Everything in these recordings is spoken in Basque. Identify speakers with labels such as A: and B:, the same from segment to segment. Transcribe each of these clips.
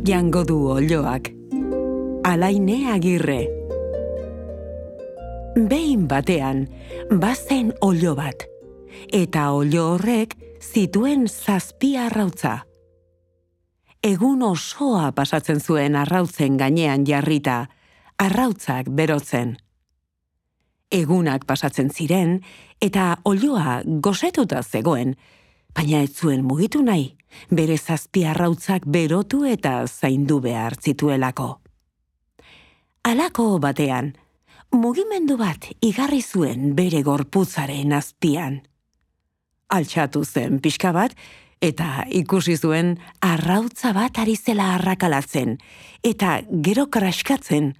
A: jango du olioak. Alaine Agirre. Behin batean, bazen olio bat, eta olio horrek zituen 7 arrautza. Egun osoa pasatzen zuen arrautzen gainean jarrita, arrautzak berotzen. Egunak pasatzen ziren, eta olioa gosetuta zegoen, baina ez zuen mugitu nahi, bere 7 arrautzak berotu eta zaindu behar zituelako. Halako batean, mugimendu bat igarri zuen bere gorputzaren azpian. Altxatu zen pixka bat, eta ikusi zuen arrautza bat ari zela arrakalatzen, eta gero kraskatzen.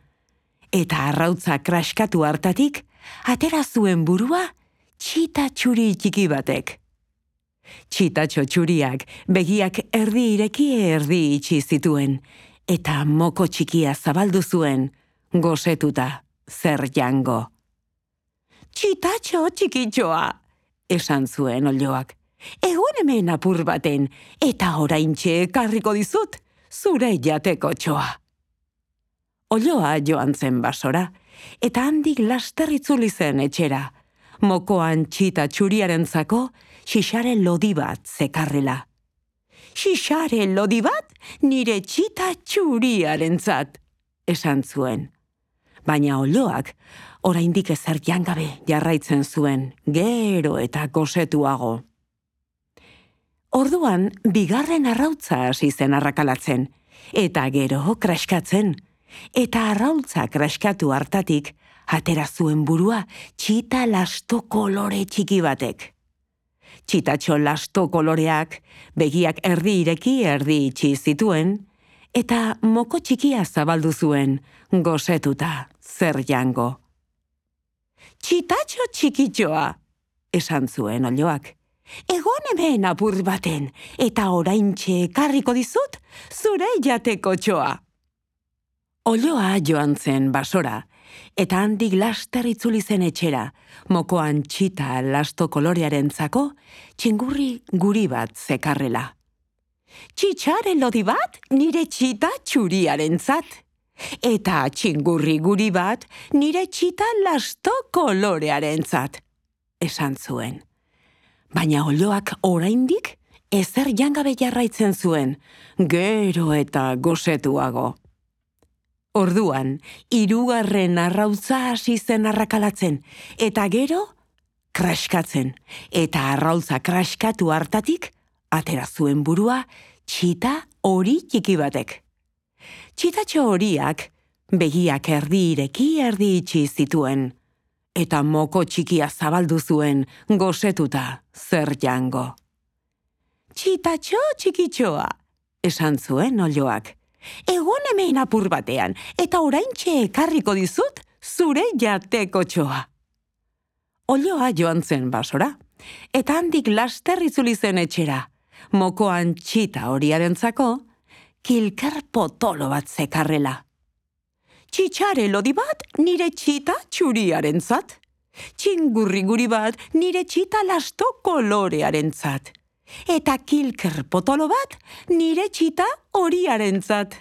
A: Eta arrautza kraskatu hartatik, atera zuen burua txita txuri txiki batek. Txitatxo txuriak begiak erdi ireki erdi itxi zituen, eta moko txikia zabaldu zuen, gosetuta zer jango. Txitatxo txikitxoa, esan zuen olioak. Egon hemen apur baten, eta oraintxe ekarriko dizut, zure jateko txoa. Olioa joan zen basora, eta handik laster itzuli zen etxera, mokoan txita txuriarentzako xixare lodi bat zekarrela. Xixare lodi bat nire txita txuriarentzat, esan zuen. Baina olioak oraindik ezer jangabe jarraitzen zuen, gero eta gosetuago. Orduan, bigarren arrautza hasi zen arrakalatzen, eta gero kraskatzen, eta arrautza kraskatu hartatik, atera zuen burua txita lasto kolore txiki batek. Txitatxo lasto koloreak, begiak erdi ireki erdi itxi zituen, eta moko txikia zabaldu zuen, gosetuta zer jango. Txitatxo txikitxoa, esan zuen olioak. Egon hemen apur baten, eta oraintxe ekarriko dizut, zure jateko txoa. Olioa joan zen basora, eta handik laster itzuli zen etxera, mokoan txita lasto kolorearentzako txingurri guri bat zekarrela. Txitxare lodi bat nire txita txuriarentzat, eta txingurri guri bat nire txita lasto kolorearentzat, esan zuen. Baina olioak oraindik ezer jangabe jarraitzen zuen, gero eta gosetuago. Orduan, 3. arrautza hasi zen arrakalatzen, eta gero kraskatzen, eta arrautza kraskatu hartatik, atera zuen burua txita hori txiki batek. Txitatxo horiak begiak erdi ireki erdi itxi zituen, eta moko txikia zabaldu zuen, gosetuta zer jango. Txitatxo txikitxoa, esan zuen olioak. Egon hemen apur batean, eta oraintxe ekarriko dizut, zure jateko txoa. Olioa joan zen basora, eta handik laster itzuli zen etxera, mokoan txita horiarentzako, kilker potolo bat zekarrela. Txitxare lodi bat nire txita txuriarentzat, txingurri guri bat nire txita lasto kolorearentzat, eta kilker potolo bat nire txita horiarentzat,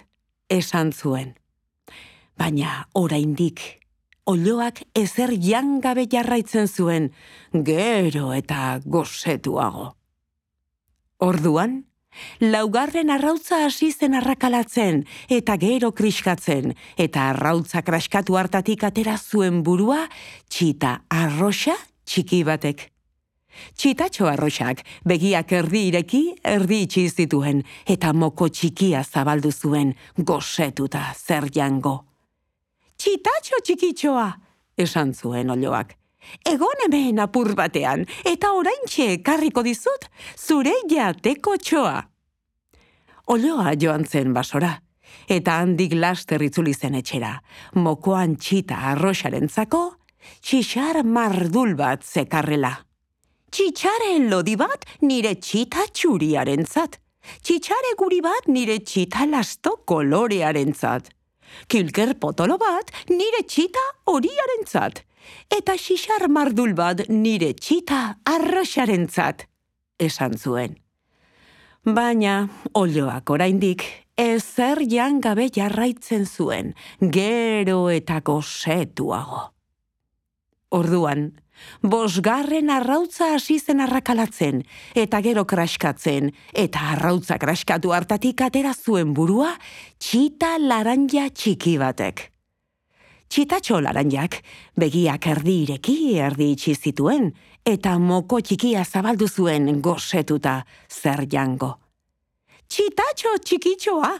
A: esan zuen. Baina oraindik, olioak ezer jangabe jarraitzen zuen, gero eta gosetuago. Orduan, 4. arrautza hasi zen arrakalatzen, eta gero kriskatzen, eta arrautza kraskatu hartatik atera zuen burua txita arroxa txiki batek. Txitatxo arroxak begiak erdi ireki erdi itxi zituen, eta moko txikia zabaldu zuen, gosetuta zer jango. Txitatxo txikitxoa, esan zuen olioak. Egon hemen apur batean, eta oraintxe ekarriko dizut, zure jateko txoa. Olioa joan zen basora, eta handik laster itzuli zen etxera, mokoan txita arroxarentzako, txixar mardul bat zekarrela. Txitxare lodi bat nire txita txuriarentzat, txitxare guri bat nire txita lasto kolorearentzat, kilker potolo bat nire txita horiarentzat, eta xixar mardul bat nire txita arroxarentzat, esan zuen. Baina olioak oraindik ezer jan gabe jarraitzen zuen, gero eta gosetuago. Orduan, 5. arrautza hasi zen arrakalatzen, eta gero kraskatzen, eta arrautza kraskatu hartatik atera zuen burua txita laranja txiki batek. Txitatxo laranjak begiak erdi ireki erdi itxi zituen, eta moko txikia zabaldu zuen gosetuta zer jango. Txitatxo txikitxoa,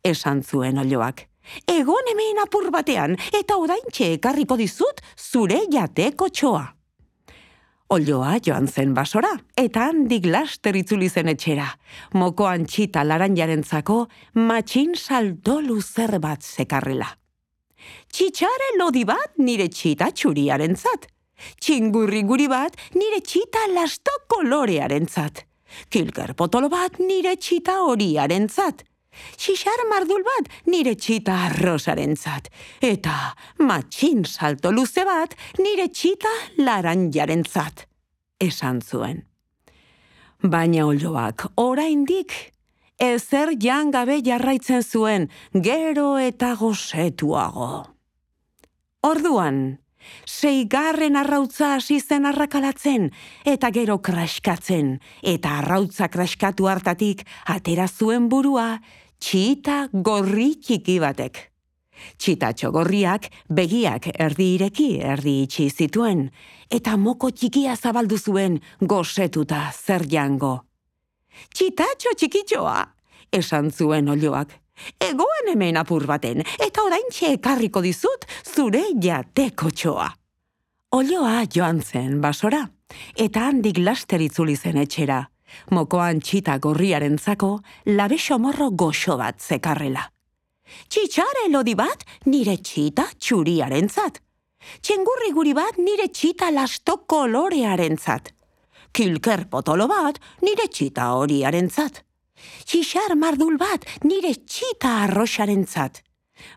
A: esan zuen Olioak. Egon hemen apur batean, eta oraintxe ekarriko dizut zure jateko txoa. Olioa joan zen basora, eta handik laster itzuli zen etxera. Mokoan txita laranjarentzako matxin salto luzer bat zekarrela. Txitxare lodi bat nire txita txuriarentzat. Txingurri guri bat nire txita lasto kolorearentzat. Kilker potolo bat nire txita horiarentzat. Xixar mardul bat nire txita arrosarentzat. Eta matxin salto luze bat nire txita laranjarentzat. Esan zuen. Baina Olioak oraindik ezer jan gabe jarraitzen zuen, gero eta gosetuago. Orduan, 6. arrautza hasi zen arrakalatzen, eta gero kraskatzen, eta arrautza kraskatu hartatik atera zuen burua txita gorri txiki batek. Txitatxo gorriak begiak erdi ireki erdi itxi zituen, eta moko txikia zabaldu zuen gosetuta zer jango. Txitatxo txikitxoa, esan zuen Olioak. Egoen hemen apur baten, eta oraintxe ekarriko dizut zure jateko txoa. Olioa joan zen basora, eta handik laster itzuli zen etxera. Mokoan txita gorriarentzako labexo morro goxo bat zekarrela. Txitxare lodi bat nire txita txuriarentzat. Txingurri guri bat nire txita lasto kolorearentzat. Kilker potolo bat nire txita horiarentzat. Xixar mardul bat nire txita arrosarentzat.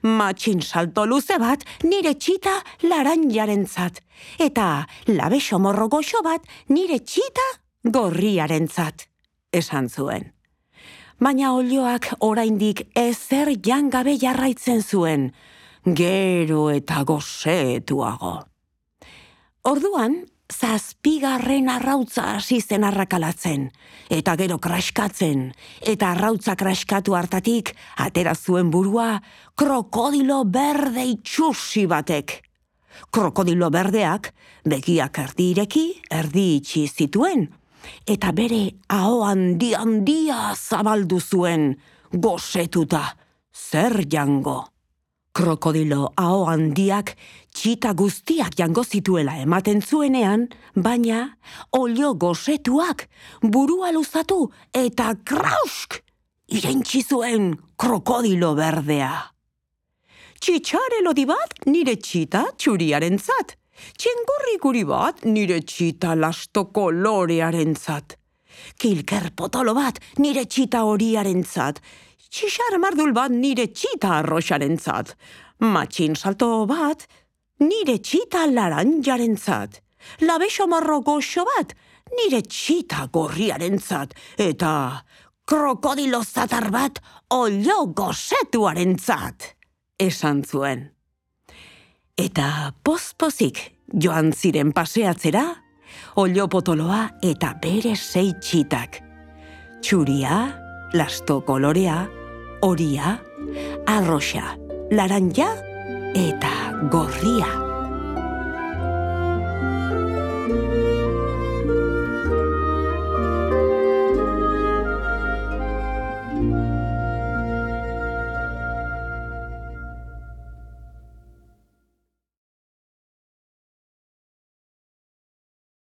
A: Matxin salto luze bat nire txita laranjarentzat. Eta labexo morro goxo bat nire txita gorriarentzat. Esan zuen. Baina Olioak oraindik ezer jan gabe jarraitzen zuen, gero eta gosetuago. Orduan, 7. arrautza hasi zen arrakalatzen, eta gero kraskatzen, eta arrautza kraskatu hartatik atera zuen burua krokodilo berde itxusi batek. Krokodilo berdeak begiak erdi ireki erdi itxi zituen, eta bere aho handia zabaldu zuen gosetuta zer jango. Krokodilo aho handiak txita guztiak jango zituela ematen zuenean, baina Olio gosetuak burua luzatu eta krausk irentsi zuen krokodilo berdea. Txitxare lodi bat nire txita txuriarentzat. Txingurri guri bat nire txita lasto kolorearentzat. Kilker potolo bat nire txita horiarentzat. Xixar mardul bat nire txita arrosarentzat. Matxin salto bat nire txita laranjarentzat. Labexo morro goxo bat nire txita gorriarentzat. Eta krokodilo zatar bat Olio gosetuarentzat. Esan zuen. Eta pozpozik joan ziren paseatzera, Olio potoloa eta bere 6 txitak. Txuria, lasto kolorea, horia, arroxa, laranja eta gorria.